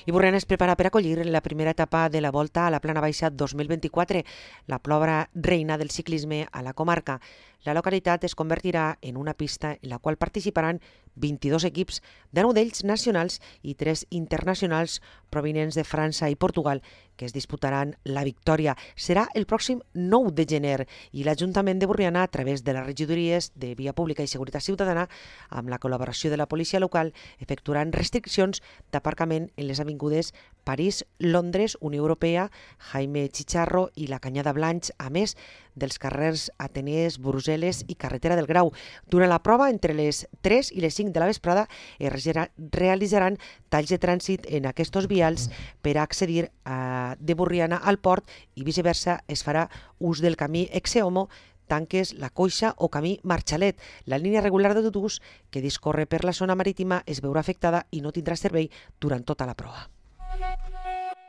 I Borriana es prepara per acollir la primera etapa de la Volta a la Plana Baixa 2024, la prova reina del ciclisme a la comarca. La localitat es convertirà en una pista en la qual participaran 22 equips, 19 d'ells nacionals i 3 internacionals provinents de França i Portugal, que es disputaran la victòria. Serà el pròxim 9 de gener i l'Ajuntament de Borriana, a través de les regidories de Via Pública i Seguretat Ciutadana, amb la col·laboració de la policia local, efectuaran restriccions d'aparcament en les avingudes París, Londres, Unió Europea, Jaime Chicharro i la Canyada Blanch, a més dels carrers Atenees, Brussel·les i Carretera del Grau. Durant la prova, entre les 3 i les 5 de la vesprada, es realitzaran talls de trànsit en aquests vials per a accedir de Borriana al port i viceversa. Es farà ús del camí Exeomo, Tanques, La Coixa o camí Marxalet. La línia regular d'autobús que discorre per la zona marítima es veurà afectada i no tindrà servei durant tota la prova.